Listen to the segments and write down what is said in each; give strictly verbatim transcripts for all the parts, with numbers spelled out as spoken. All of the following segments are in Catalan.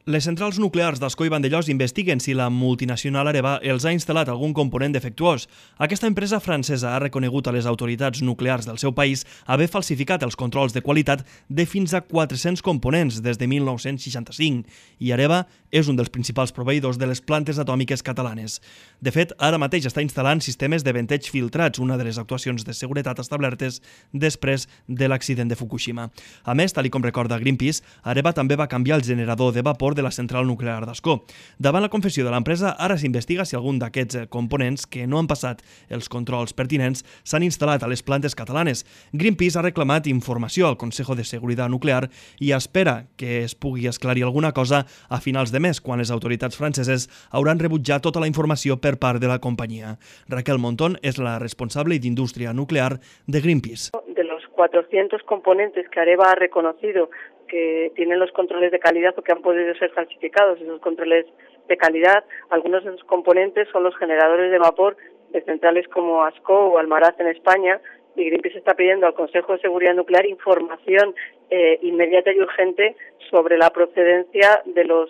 Les centrals nuclears d'Ascó i Vandellòs investiguen si la multinacional Areva els ha instal·lat algun component defectuós. Aquesta empresa francesa ha reconegut a les autoritats nuclears del seu país haver falsificat els controls de qualitat de fins a quatre-cents components des de mil nou-cents seixanta-cinc i Areva és un dels principals proveïdors de les plantes atòmiques catalanes. De fet, ara mateix està instal·lant sistemes de venteig filtrats, una de les actuacions de seguretat establertes després de l'accident de Fukushima. A més, tal com recorda Greenpeace, Areva també va canviar el generador de vapor de la central nuclear d'Ascó. Davant la confessió de l'empresa, ara s'investiga si algun d'aquests components que no han passat els controls pertinents s'han instal·lat a les plantes catalanes. Greenpeace ha reclamat informació al Consejo de Seguridad Nuclear i espera que es pugui esclarir alguna cosa a finals de mes, quan les autoritats franceses hauran rebutjat tota la informació per part de la companyia. Raquel Montón és la responsable d'Indústria Nuclear de Greenpeace. De los cuatrocientos componentes que Areva ha reconocido que tienen los controles de calidad o que han podido ser falsificados, esos controles de calidad, algunos de esos componentes son los generadores de vapor de centrales como Ascó o Almaraz en España, y Greenpeace está pidiendo al Consejo de Seguridad Nuclear información eh, inmediata y urgente sobre la procedencia de los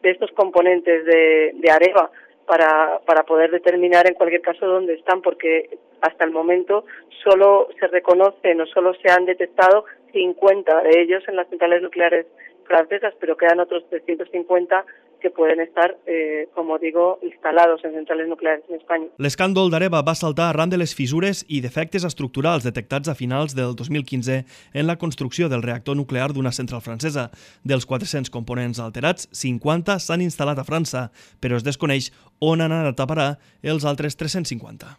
de estos componentes de, de Areva para, para poder determinar en cualquier caso dónde están, porque hasta el momento solo se reconocen o solo se han detectado cincuenta de ellos en las centrales nucleares francesas, pero quedan otros trescientos cincuenta que pueden estar, eh, como digo, instalados en centrales nucleares en España. L'escàndol d'Areva va saltar arran de les fissures i defectes estructurals detectats a finals del dos mil quinze en la construcció del reactor nuclear d'una central francesa. Dels quatre-cents components alterats, cinquanta s'han instal·lat a França, però es desconeix on han anat a parar els altres tres-cents cinquanta.